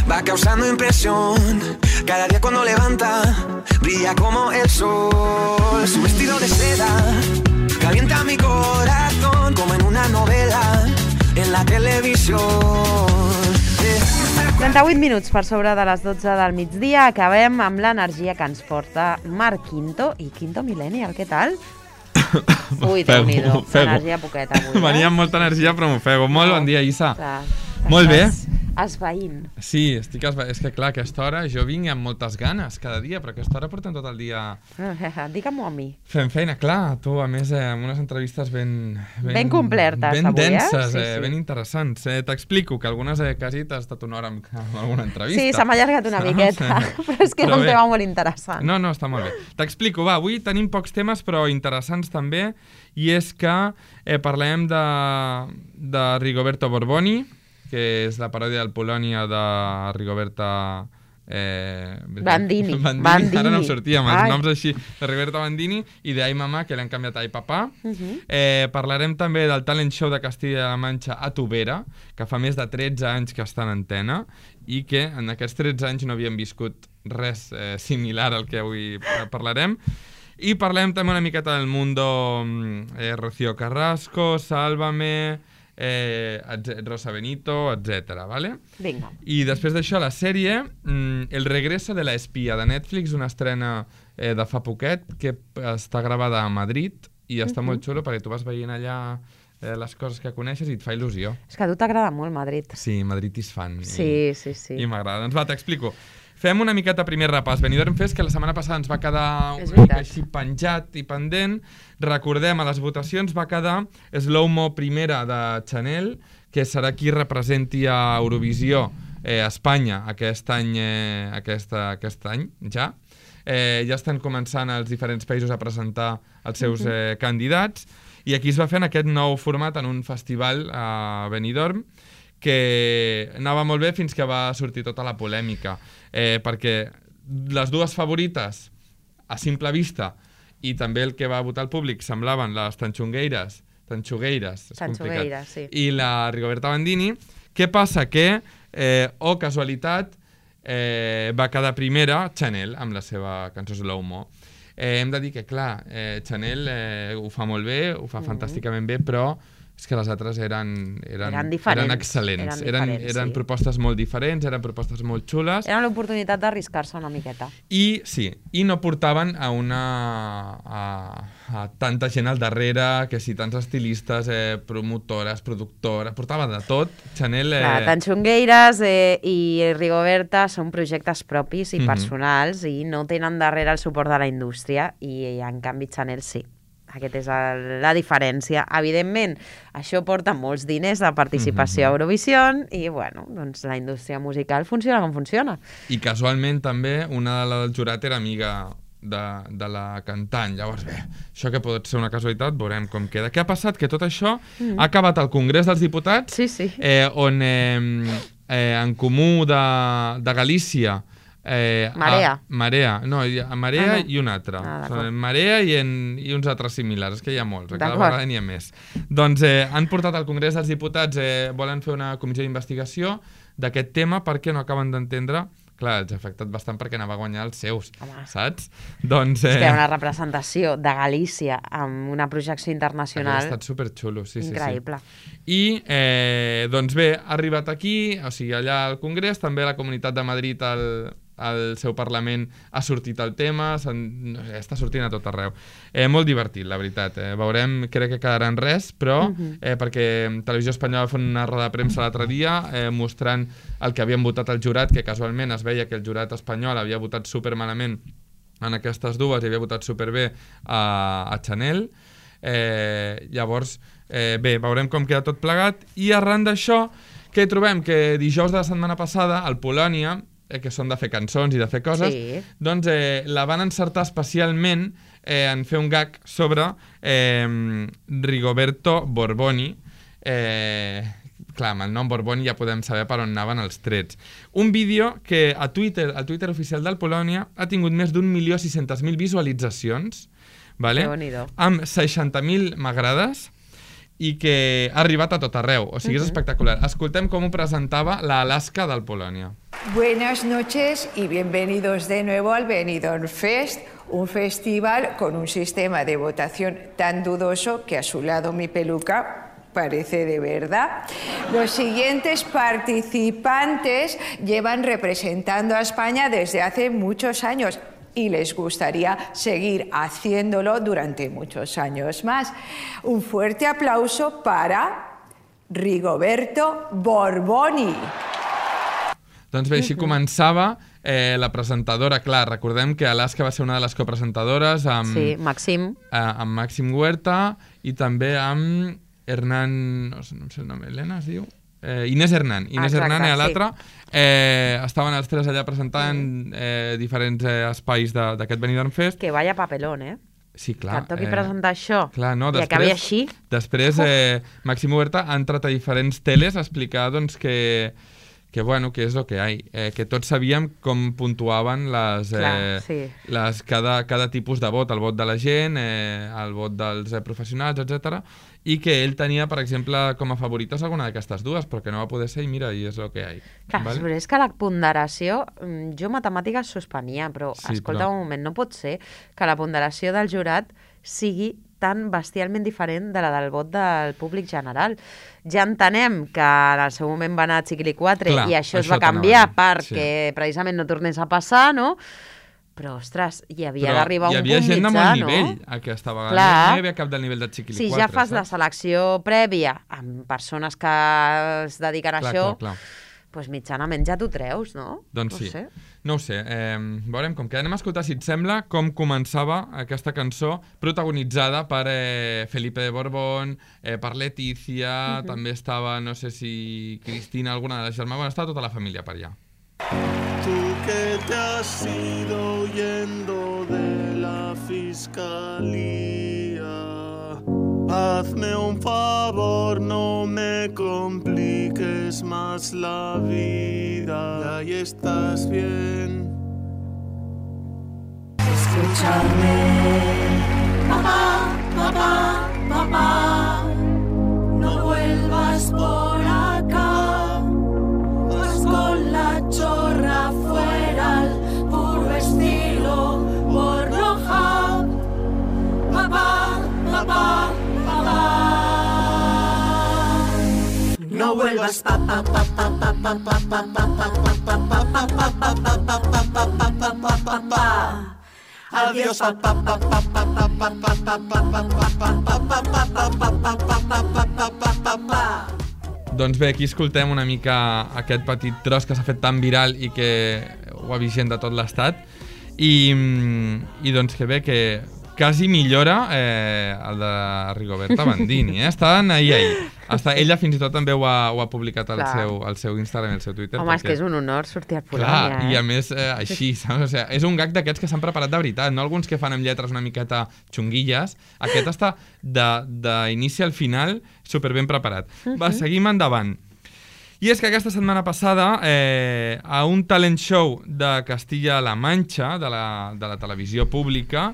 va causando impresión. Cada día cuando levanta, brilla como el sol. Su vestido de seda calienta mi corazón como en una novela en la televisión. 38 minuts per sobre de les 12 del migdia. Acabem amb l'energia que ens porta Marc Quinto i Quinto Millennial. Què tal? Ui, Déu-n'hi-do. Energia poqueta avui. Venia amb molta energia, però m'ofego. Molt bon dia, Issa. Clar, molt bé. Esvaint. Sí, estic esvaint. És que clar, a aquesta hora jo vinc amb moltes ganes cada dia, però a aquesta hora portem tot el dia... Digue-m'ho a mi. Fent feina, clar. Tu, a més, amb unes entrevistes ben complertes ben avui, denses, sí. ben interessants. T'explico que algunes quasi t'has estat una hora amb alguna entrevista. Sí, s'ha allargat una miqueta, però és que era un tema molt interessant. No, està molt bé. T'explico, va, avui tenim pocs temes, però interessants també, i és que parlem de Rigoberto Borboni, que és la paròdia del Polònia de Rigoberta... Bandini. Ara no em sortia amb els noms així, de Rigoberta Bandini i d'Ai Mamà, que l'han canviat a Ai Papà. Parlarem també del talent show de Castilla-La Manxa a Tubera, que fa més de 13 anys que està en antena i que en aquests 13 anys no havíem viscut res similar al que avui parlarem. I parlem també una miqueta del Mundo, Rocío Carrasco, Sálvame... Rosa Benito, etc. ¿vale? Vinga. I després d'això la sèrie El regreso de la espía de Netflix, una estrena de fa poquet que està gravada a Madrid i està molt xulo perquè tu vas veient allà les coses que coneixes i et fa il·lusió. És que a tu t'agrada molt Madrid. Sí, Madrid is fan. Sí. I m'agrada. Doncs va, t'explico. Fem una miqueta primer repàs. Benidorm Fest, que la setmana passada ens va quedar una mica així penjat i pendent. Recordem, a les votacions va quedar Slow-Mo primera de Chanel, que serà qui representi a Eurovisió a Espanya aquest any ja. Ja estan començant els diferents països a presentar els seus candidats i aquí es va fer en aquest nou format en un festival a Benidorm que anava molt bé fins que va sortir tota la polèmica, perquè les dues favorites a simple vista i també el que va votar el públic semblaven les Tanxugueires, sí. I la Rigoberta Bandini. Què passa? Que, casualitat, va quedar primera Chanel amb la seva cançó Slow-Mo. Hem de dir que, clar, Chanel ho fa molt bé, ho fa fantàsticament bé, però és que les altres eren excel·lents. Eren propostes molt diferents, eren propostes molt xules. Era l'oportunitat d'arriscar-se una miqueta. I sí, i no portaven a tanta gent al darrere, que si tants estilistes, promotores, productores, portava de tot. Chanel... Tanxongueires i Rigoberta són projectes propis i personals i no tenen darrere el suport de la indústria i en canvi Chanel sí. Aquesta és la diferència. Evidentment, això porta molts diners de participació a Eurovisió i, bueno, doncs la indústria musical funciona com funciona. I casualment també una de les del jurat era amiga de la cantant. Llavors, bé, això que pot ser una casualitat, veurem com queda. Què ha passat? Que tot això ha acabat al Congrés dels Diputats, on en Comú de Galícia Marea. Marea i un altre. Marea i uns altres similars. És que hi ha molts, cada vegada n'hi ha més. Doncs han portat al Congrés dels Diputats, volen fer una comissió d'investigació d'aquest tema perquè no acaben d'entendre. Clar, els ha afectat bastant perquè anava a guanyar els seus, saps? Doncs... És que hi ha una representació de Galícia amb una projecció internacional. Ha estat superxulo, sí. Increïble. I, doncs bé, ha arribat aquí, o sigui, allà al Congrés, també la Comunitat de Madrid, al seu Parlament ha sortit el tema, està sortint a tot arreu. Molt divertit, la veritat. Veurem, crec que quedarà en res, però perquè Televisió Espanyola va fer una roda de premsa l'altre dia mostrant el que havien votat el jurat, que casualment es veia que el jurat espanyol havia votat supermalament en aquestes dues i havia votat superbé a Chanel. Llavors, bé, veurem com queda tot plegat. I arran d'això, què trobem? Que dijous de la setmana passada, al Polònia, que són de fer cançons i de fer coses, doncs la van encertar especialment en fer un gag sobre Rigoberto Borboni. Clar, amb el nom Borboni ja podem saber per on anaven els trets. Un vídeo que al Twitter oficial del Polònia ha tingut més d'1.600.000 visualitzacions, amb 60.000 m'agrades, i que ha arribat a tot arreu. O sigui, és espectacular. Escoltem com ho presentava l'Alaska del Polònia. Buenas noches y bienvenidos de nuevo al Benidorm Fest, un festival con un sistema de votación tan dudoso que a su lado mi peluca parece de verdad. Los siguientes participantes llevan representando a España desde hace muchos años y les gustaría seguir haciéndolo durante muchos años más. Un fuerte aplauso para Rigoberto Borboni. Doncs bé, així començava la presentadora. Clar, recordem que Alaska va ser una de les copresentadores amb... Sí, Maxim. Amb Màxim Huerta i també amb Hernán... No sé el nom, Helena es diu? Inés Hernán. Inés Hernán i l'altra. Estaven els tres allà presentant diferents espais d'aquest Benidorm Fest. Que vaya papelón, Sí, clar. Que et toqui presentar això clar, no, i acabi així. Després, Màxim Huerta ha entrat a diferents teles a explicar doncs, que bueno, que és el que hi ha. Que tots sabíem com puntuaven cada tipus de vot, el vot de la gent, el vot dels professionals, etc. I que ell tenia, per exemple, com a favorites alguna d'aquestes dues, però que no va poder ser i mira, i és el que hi ha. Clar, vale? Però és que la ponderació, jo matemàtiques suspenia, però escolta un moment, no pot ser que la ponderació del jurat sigui tan bestialment diferent de la del vot del públic general. Ja entenem que en el seu moment va anar a Chiquilicuatre i això es va canviar perquè precisament no tornés a passar, no? Però, ostres, hi havia d'arribar un punt mitjà, no? Hi havia gent de molt nivell aquesta vegada. No hi havia cap del nivell de Chiquilicuatre. Si ja fas la selecció prèvia amb persones que es dediquen a això, doncs mitjanament ja t'ho treus, no? Doncs sí. No ho sé. Veurem com que anem a escoltar, si et sembla, com començava aquesta cançó protagonitzada per Felipe de Borbón, per Letícia, també estava, no sé si Cristina, alguna de les germanes, bueno, estava tota la família per allà. Tú que te has ido huyendo de la fiscalía, hazme un favor, no me compliques más la vida. Ahí estás bien. Escúchame, papá, papá, papá, no vuelvas por acá. Vas con la chorra fuera al puro estilo Pornhub. Papá, papá, papá, no vuelvas papá, papá, papá, papá, papá, papá, papá, papá. Adiós papá, papá, papá, papá, papá, papá, papá. Doncs bé, aquí escoltem una mica aquest petit tros que s'ha fet tan viral i que ho ha vist gent de tot l'estat i doncs que bé, que quasi millora el de Rigoberta Bandini, estaven ahir. Ella fins i tot també ho ha publicat al seu Instagram i al seu Twitter. Home, és que és un honor sortir al Polònia. Clar, i a més així, saps? O sigui, és un gag d'aquests que s'han preparat de veritat, no alguns que fan amb lletres una miqueta xunguilles. Aquest està d'inici al final superben preparat. Va, seguim endavant. I és que aquesta setmana passada, a un talent show de Castilla-La Manxa, de la televisió pública,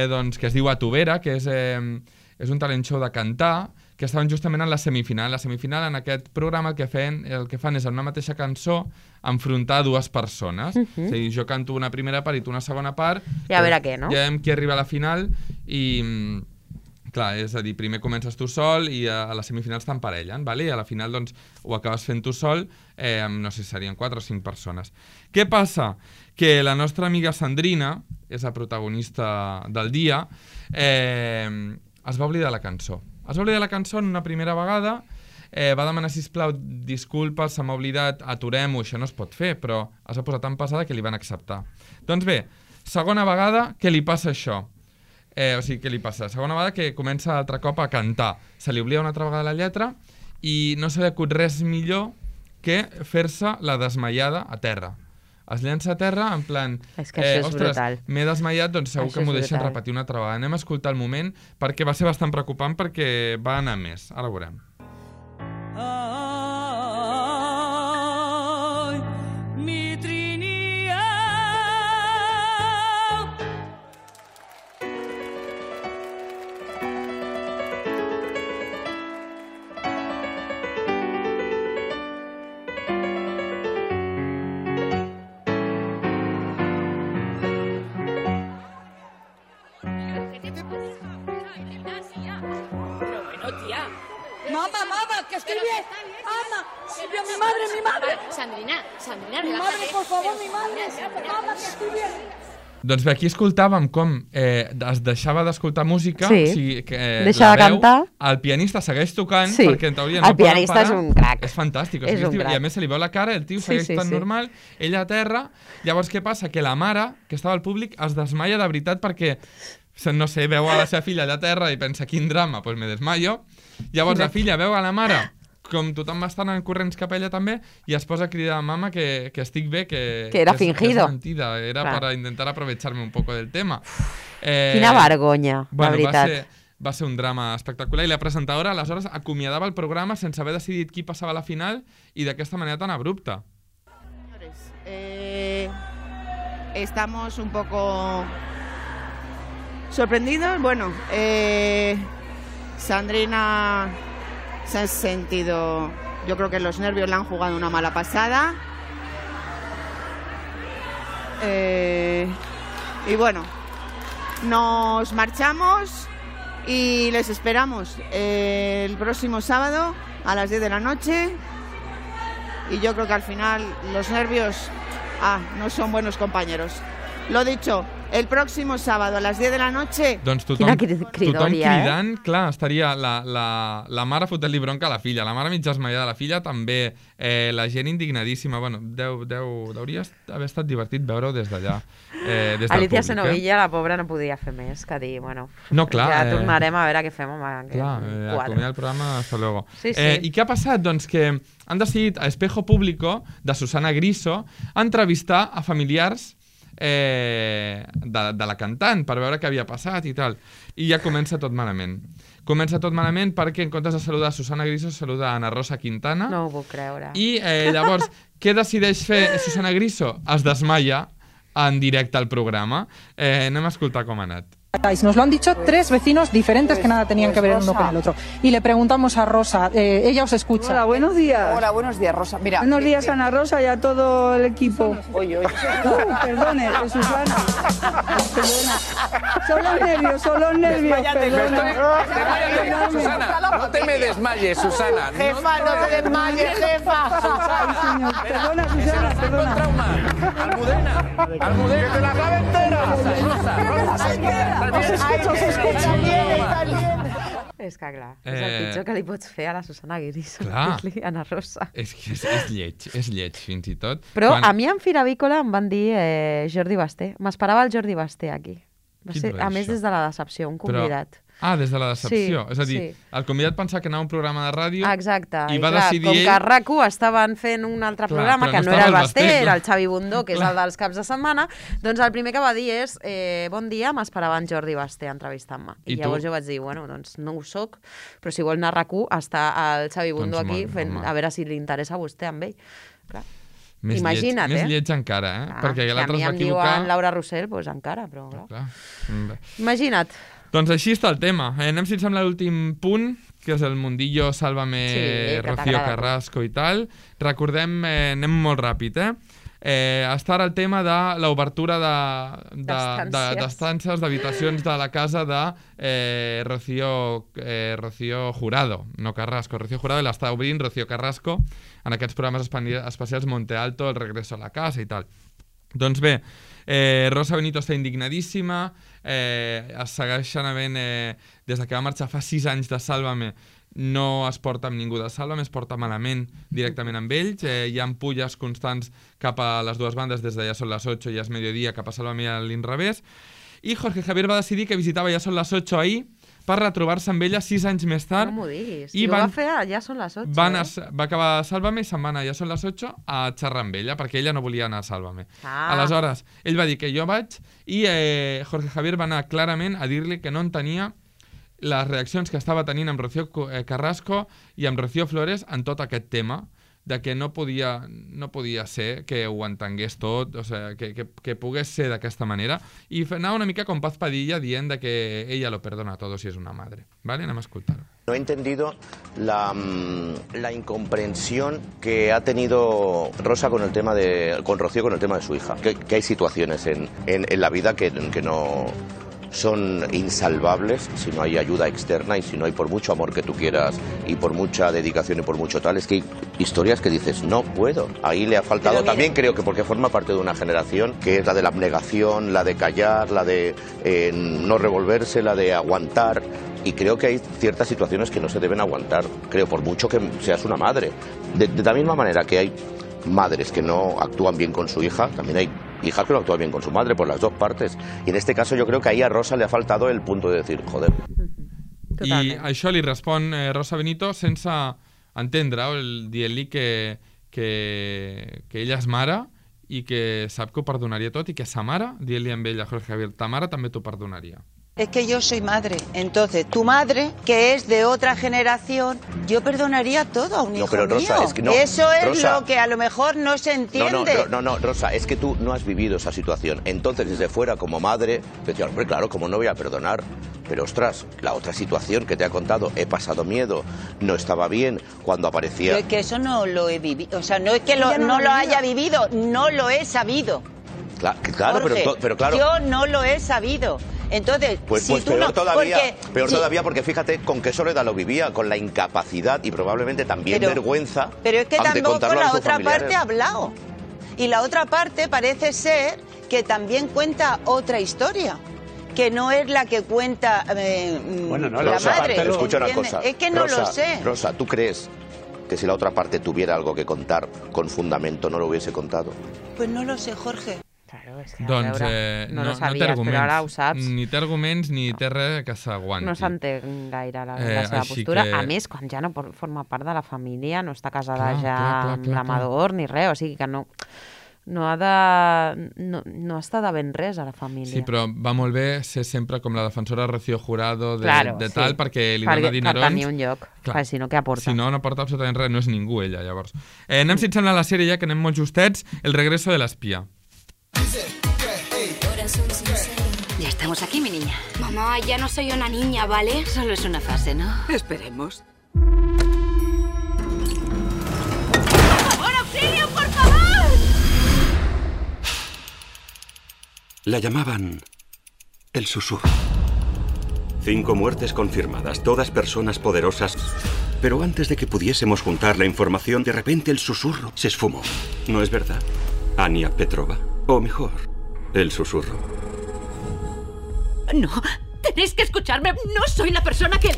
doncs, que es diu A tu vera, que és un talent show de cantar, que estaven justament en la semifinal. La semifinal, en aquest programa, el que fan és en una mateixa cançó enfrontar dues persones. És a dir, jo canto una primera part i tu una segona part. I a veure què, no? Ja veiem qui arriba a la final i... Clar, és a dir, primer comences tu sol i a les semifinals t'emparellen, i a la final doncs, ho acabes fent tu sol, no sé, serien 4 o 5 persones. Què passa? Que la nostra amiga Sandrina, és la protagonista del dia, es va oblidar la cançó. Es va oblidar la cançó en una primera vegada, va demanar, sisplau, disculpes, se m'ha oblidat, aturem-ho, això no es pot fer, però es va posar tan pesada que li van acceptar. Doncs bé, segona vegada que li passa això. O sigui, què li passa? Segona vegada que comença altre cop a cantar. Se li oblida una altra vegada la lletra i no se li acut res millor que fer-se la desmaiada a terra. Es llença a terra en plan... És que això és brutal. M'he desmaiat, doncs segur que m'ho deixen repetir una altra vegada. Anem a escoltar el moment perquè va ser bastant preocupant perquè va anar més. Ara ho veurem. ya. Mamá, que estoy bien. Mamá, mi madre. Sandrina, Mi madre, por favor, mi madre. Mamá, que estoy bien. Doncs bé, aquí escoltàvem com es deixava d'escoltar música, Sí. o sigui, que Deixa de cantar. El pianista segueix tocant, Sí. perquè en teoria El no poden pianista parar. és un crac. És fantàstic, o És sigui, un crac. i a més se li veu la cara, el tio segueix tan normal, ella a terra, llavors què passa? Que la mare, que estava al públic, es desmaia de veritat perquè, no sé, veu a la seva filla allà a terra i pensa, quin drama, doncs me desmaio. Llavors la filla veu a la mare com tothom va estar en corrents cap a ella també, i es posa a cridar a mama que estic bé, que era és fingido. mentida, era Clar. para intentar aprovecharme un poco del tema. Quina vergonya, bueno, la veritat. Va ser un drama espectacular, i la presentadora aleshores acomiadava el programa sense haver decidit qui passava a la final i d'aquesta manera tan abrupta. Estamos un poco sorprendidos. Bueno, Sandrina se ha sentido, yo creo que los nervios le han jugado una mala pasada. Y bueno, nos marchamos y les esperamos el próximo sábado a las 10 de la noche. Y yo creo que al final los nervios no son buenos compañeros. Lo dicho, el próximo sábado a las 10 de la noche... Doncs tothom cridant, clar, estaria la mare fotent-li bronca a la filla, la mare mig desmaiada de la filla, també la gent indignadíssima. Bueno, hauria d'haver estat divertit veure-ho des d'allà, des del Alicia públic. Senovilla, la pobra, no podia fer més que dir, bueno, no, clar, ja tornarem a veure què fem amb aquest quadre. Acomiadar el programa, hasta luego. Sí, sí. I què ha passat? Doncs que han decidit a Espejo Público, de Susana Griso, entrevistar a familiars de la cantant per veure què havia passat i tal. I ja comença tot malament. Comença tot malament perquè en comptes de saludar Susana Griso saluda Ana Rosa Quintana. No ho puc creure. I llavors, què decideix fer Susana Griso? Es desmaia en directe al programa. Anem a escoltar com ha anat. Nos lo han dicho 3 vecinos diferentes que nada tenían que ver uno con el otro. Y le preguntamos a Rosa, ella os escucha. Hola, buenos días. Hola, buenos días, Rosa. Mira, buenos días, Ana Rosa, y a todo el equipo. Oye. Perdone, Susana. Perdona. Son los nervios, perdona. Desmáyate, Susana. No te me desmayes, Susana. Jefa, no te desmayes, jefa. Ay, señor. Perdona, Susana, perdona. Almudena, que te la clave entera. Rosa. És que clar, és el pitjor que li pots fer a la Susana Griso. Clar. Dir-li Ana Rosa. És que és lleig fins i tot. Però a mi en Fira Avícola em van dir Jordi Basté. M'esperava el Jordi Basté aquí. Va ser, a més, des de la decepció, un convidat. Des de la decepció. És a dir, el convidat pensava que anava a un programa de ràdio. Exacte. I va decidir com que a RAC1 estaven fent un altre programa, que no era el Basté, era el Xavi Bundó, que és el dels caps de setmana, doncs el primer que va dir és bon dia, m'esperava en Jordi Basté entrevistant-me. I llavors jo vaig dir, bueno, doncs no ho soc, però si vol anar a RAC1 està el Xavi Bundó aquí fent, a veure si li interessa a vostè amb ell. Clar. Imagina't, més lleig encara, perquè l'altre es va equivocar. A mi em diuen Laura Rossell, doncs encara, però clar. Imagina't. Doncs així està el tema. Anem, si et sembla, l'últim punt, que és el mundillo Sálvame, Rocío Carrasco i tal. Recordem, anem molt ràpid, està ara el tema de l'obertura d'estances, d'habitacions de la casa de Rocío Jurado, no Carrasco, Rocío Jurado, i l'està obrint Rocío Carrasco en aquests programes especials Monte Alto, El regreso a la casa i tal. Doncs bé, Rosa Benito està indignadíssima, es segueixen havent, des que va marxar fa 6 anys de Sálvame, no es porta amb ningú de Sálvame, es porta malament directament amb ells, hi ha ampulles constants cap a les dues bandes, des de Ja són les 8 i Ja és mediodía, cap a Sálvame i a l'inrevés, i Jorge Javier va decidir que visitava Ja són les 8 ahir per retrobar-se amb ella 6 anys més tard. No m'ho diguis. I ho va fer a Ja són les 8. Va acabar a Sálvame i se'n va anar a Ja són les 8 a xerrar amb ella, perquè ella no volia anar a Sálvame. Aleshores, ell va dir que jo vaig i Jorge Javier va anar clarament a dir-li que no entenia les reaccions que estava tenint amb Rocío Carrasco i amb Rocío Flores en tot aquest tema, de que no podia ser que ho entengués tot, o sigui, que pogués ser d'aquesta manera, i anava una mica com Paz Padilla dient de que ella lo perdona todo si es una madre. ¿Vale? Anem a escoltar-ho. No he entendido la incomprensión que ha tenido Rosa con Rocío con el tema de su hija. Que hay situaciones en la vida que son insalvables si no hay ayuda externa y si no hay, por mucho amor que tú quieras y por mucha dedicación y por mucho tal, es que hay historias que dices, no puedo. Ahí le ha faltado también, creo que porque forma parte de una generación que es la de la abnegación, la de callar, la de no revolverse, la de aguantar. Y creo que hay ciertas situaciones que no se deben aguantar, creo, por mucho que seas una madre. De la misma manera que hay madres que no actúan bien con su hija, también hay hijas que no actúan bien con su madre, por las dos partes. I en este caso jo crec que ahí a Rosa le ha faltado el punto de decir, joder. I això li respon Rosa Benito sense entendre, dient-li que ella és mare i que sap que ho perdonaria tot i que sa mare, dient-li amb ella, Jorge Javier, ta mare també t'ho perdonaria. Es que yo soy madre, entonces tu madre, que es de otra generación, yo perdonaría todo a un hijo pero Rosa, mío. Es que no, eso es Rosa, lo que a lo mejor no se entiende. No, Rosa, es que tú no has vivido esa situación. Entonces, desde fuera, como madre, decía, hombre, claro, ¿cómo no voy a perdonar? Pero, ostras, la otra situación que te ha contado, he pasado miedo, no estaba bien, cuando aparecía... Pero es que eso no lo he vivido, o sea, no es que no lo haya vivido, no lo he sabido. Claro, Jorge, pero claro... Yo no lo he sabido. Entonces, pues si tú peor no, todavía, porque, peor todavía porque fíjate con qué soledad lo vivía, con la incapacidad y probablemente también vergüenza. Pero es que tampoco la otra familiares. parte ha hablado. Y la otra parte parece ser que también cuenta otra historia, que no es la que cuenta la madre. Pero escucha una cosa. Es que no Rosa, lo sé. Rosa, ¿tú crees que si la otra parte tuviera algo que contar con fundamento no lo hubiese contado? Pues no lo sé, Jorge. Claro, és que, doncs no lo té sabies, arguments, però ara ho saps. Ni té arguments ni té res que s'aguanti. No s'entén gaire la seva postura. A més, quan ja no forma part de la família, no està casada amb l'Amador ni res, o sigui que no està de ben res a la família. Sí, però va molt bé ser sempre com la defensora Rocío Jurado de tal, perquè li dona dinerons. Per tenir un lloc, perquè si no, què aporta? Si no aporta absolutament res, no és ningú ella, llavors. Anem, si et sembla, a la sèrie ja, que anem molt justets, El regreso de l'espía. Ya estamos aquí, mi niña. Mamá, ya no soy una niña, ¿vale? Solo es una fase, ¿no? Esperemos. ¡Por favor, auxilio, por favor! La llamaban el susurro. 5 muertes confirmadas, todas personas poderosas. Pero antes de que pudiésemos juntar la información, de repente el susurro se esfumó. ¿No es verdad? Ania Petrova. O mejor, el susurro. No, tenéis que escucharme. No soy la persona que...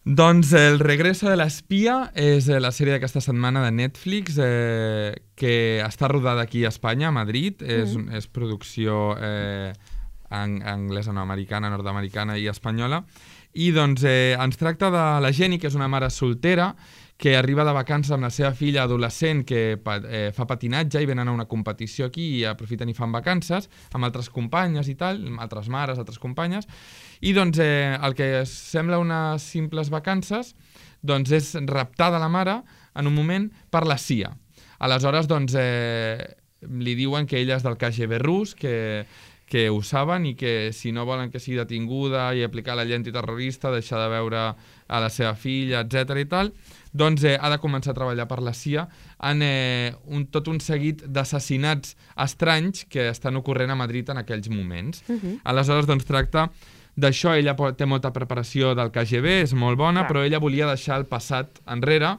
Doncs El regreso de l'espía és la sèrie d'aquesta setmana de Netflix que està rodada aquí a Espanya, a Madrid. És producció anglesa, no, americana, nord-americana i espanyola. I doncs ens tracta de la Jenny, que és una mare soltera, que arriba de vacances amb la seva filla adolescent que fa patinatge i venen a una competició aquí i aprofiten i fan vacances amb altres companyes i tal, altres mares, altres companyes, i doncs el que sembla unes simples vacances doncs és raptada la mare en un moment per la CIA. Aleshores doncs li diuen que ella és del KGB rus, que ho saben i que si no volen que sigui detinguda i aplicar la llei antiterrorista, deixar de veure a la seva filla, etc i tal, doncs ha de començar a treballar per la CIA en tot un seguit d'assassinats estranys que estan ocorrent a Madrid en aquells moments. Aleshores, doncs, tracta d'això. Ella té molta preparació del KGB, és molt bona, però ella volia deixar el passat enrere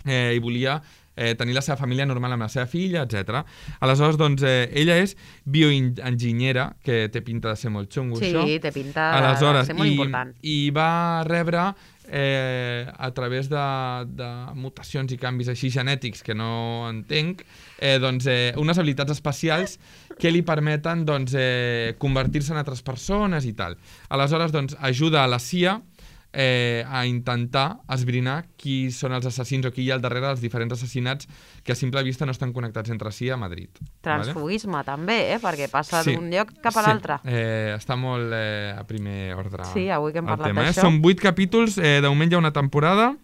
i volia tenir la seva família normal amb la seva filla, etc. Aleshores, doncs, ella és bioenginyera, que té pinta de ser molt xungo, això. Sí, té pinta de ser molt important. I va rebre a través de mutacions i canvis així genètics que no entenc, doncs, unes habilitats especials que li permeten doncs, convertir-se en altres persones i tal. Aleshores, doncs, ajuda a la CIA a intentar esbrinar qui són els assassins o qui hi ha al darrere dels diferents assassinats que a simple vista no estan connectats entre si a Madrid. Transfugisme, també, perquè passa d'un lloc cap a l'altre. Està molt a primer ordre. Sí, avui que hem parlat d'això. Són 8 capítols, de moment hi ha una temporada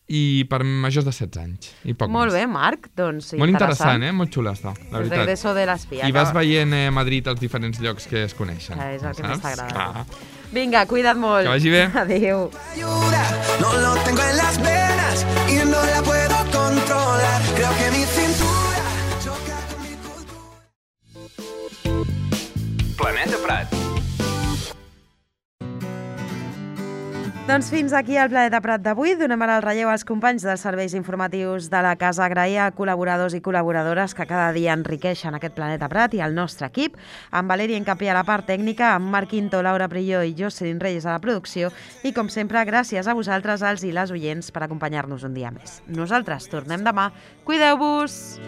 i per majors de 16 anys. I poc molt més. Bé, Marc, doncs molt interessant, molt xula està, la veritat. El regreso de l'espía. I vas veient a Madrid els diferents llocs que es coneixen. És el que més t'agrada. Vinga, cuida't molt. Que vagi bé. Adéu. No lo tengo en las venas y no la puedo controlar. Creo que mi cintura choca con mi cultura. Doncs fins aquí el Planeta Prat d'avui. Donem ara el relleu als companys dels serveis informatius de la casa. Agrair a col·laboradors i col·laboradores que cada dia enriqueixen aquest Planeta Prat i el nostre equip, amb Valeri Encapí a la part tècnica, amb Marc Quinto, Laura Prilló i Jocelyn Reyes a la producció i, com sempre, gràcies a vosaltres, els i les oients, per acompanyar-nos un dia més. Nosaltres tornem demà. Cuideu-vos!